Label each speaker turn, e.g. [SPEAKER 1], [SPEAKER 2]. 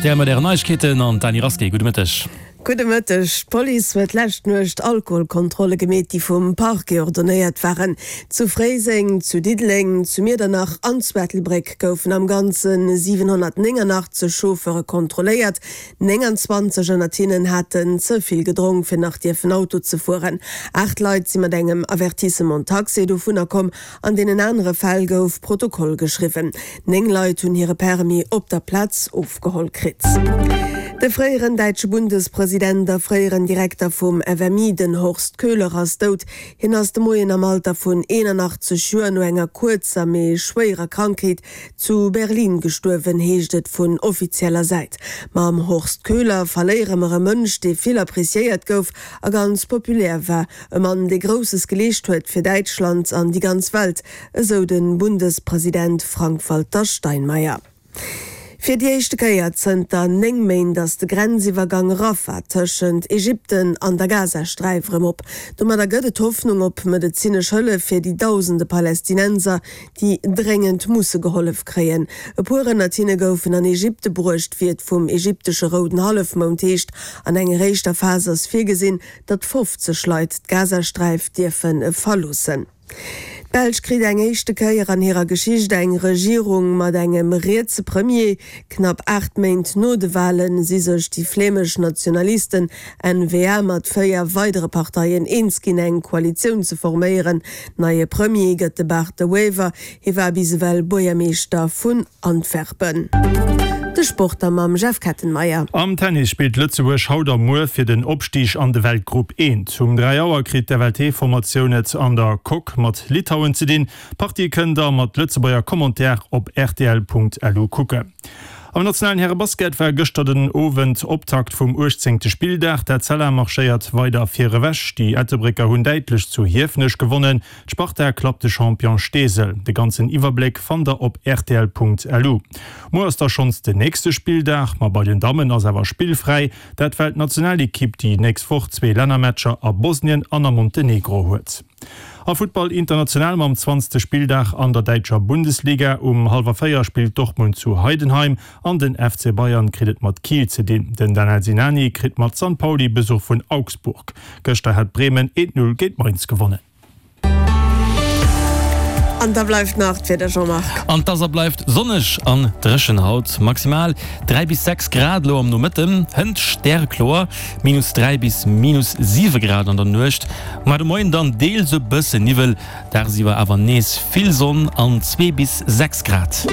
[SPEAKER 1] Rtl mat Ären Neiegkeeten an d'Dany Rasqué. Gudde Mëtteg.
[SPEAKER 2] Gudde Mëtteg. D'Police huet d'lescht Nuecht Alkoholkontrolle gemeet, déi vum Parquet ordonéiert waren. Zu Fréiseng, zu Diddeleng, zu Miedernach an zu Ettelbréck goufen am Ganze 789 Chauffeure kontrolléiert. 29 ënnert hinnen haten ze vill gedronk, fir nach dierfen Auto ze fueren. 8 Leit si mat engem Avertissement taxé dovunner komm. An deenen anere Fäll gouf Protokoll geschriwwen. 9 Leit hunn hire Permis op der Plaz ofgeholl kritt. De fréieren däitsche Bundespresident a fréieren Direkter vum FMI, den Horst Köhler, ass dout. Hien ass de Moien am Alter vun 81 Joer no enger kuerzer, mee schwéierer Krankheet zu Berlin gestuerwen, heescht et vun offizieller Säit. Mam Horst Köhler verléiere mer e Mënsch, dee vill appreciéiert gouf a ganz populär war. E Mann, dee Grousses geleescht huet fir Däitschland an déi ganz Welt, esou de Bundespresident Frank-Walter Steinmeier. Fir déi éischte Kéier zënter 9 Méint ass de Grenziwwergang Rafah tëschent Ägypten an der Gazasträif erëm op. Domadder gëtt et Hoffnung op medezinesch Hëllef fir déi dausende Palästinenser, déi dréngend musse gehollef kréien. E puer ënnert hinne goufen an Ägypte bruecht, wéi et vum ägyptesche Rouden Hallefmound heescht. An enger éischter Phas ass virgesinn, datt 50 Leit d'Gazasträif dierfe verloossen. D'Belsch kritt eng éischte Kéier an hirer Geschicht eng Regierung mat engem rietse Premier. Knapp 8 Méint no de Wale si sech déi flämesch Nationalisten, N-VA, mat 4 weidere Parteien eens ginn, eng Koalitioun ze forméieren. Neie Premier gëtt de Bart De Wever. Hie war bis ewell Buergermeeschter vun Antwerpen. De Sport da mam Jeff Kettenmeyer.
[SPEAKER 3] Am Tennis spillt Lëtzebuerg haut a muer fir den Opstig an de Weltgrupp I. Um 3 Auer kritt d'FLT-Formatioun et an der Coque mat Litauen ze dinn. D'Partie kënnt der mat Lëtzebuerger Commentaire op rtl.lu kucken. Am nationalen Härebasket war gëschter den Owend Optakt vum 18. Spilldag. D'Etzella marschéiert weider vir ewech. Déi Ettelbrécker hunn däitlech zu Hiefenech gewonnen. D'Sparta klappt de Champion Steesel. De ganzen Iwwerbléck fannt der op rtl.lu. Muer ass da schonns den nächste Spilldag, ma bei den Dammen ass awer spillfräi. Dat well d'Nationalekipp déi nächst Woch zwee Lännermatcher a Bosnien an a Montenegro huet. A Futtball international mam zwanzegste Spilldag an der däitscher Bundesliga. Um hallwer 4 spillt Dortmund zu Heidenheim an den FC Bayern kritt et mat Kiel ze dinn. Den Danel Sinani kritt mat San Pauli Besuch vun Augsburg. Gëschter hat Bremen 1, 0 géint Mainz gewonnen.
[SPEAKER 2] An da bleift nach d'Wieder, Jean-Marc.
[SPEAKER 1] An 't ass a bleift sonneg an dréchen haut. Maximal 3 bis 6 Grad elo am Nomëtten, hënt stärekloer, minus 3 bis minus 7 Grad an der Nuecht. Mar de Moien dann deels e bësse Niwwel, dagsiwwer awer nees vill Sonn an 2 bis 6 Grad.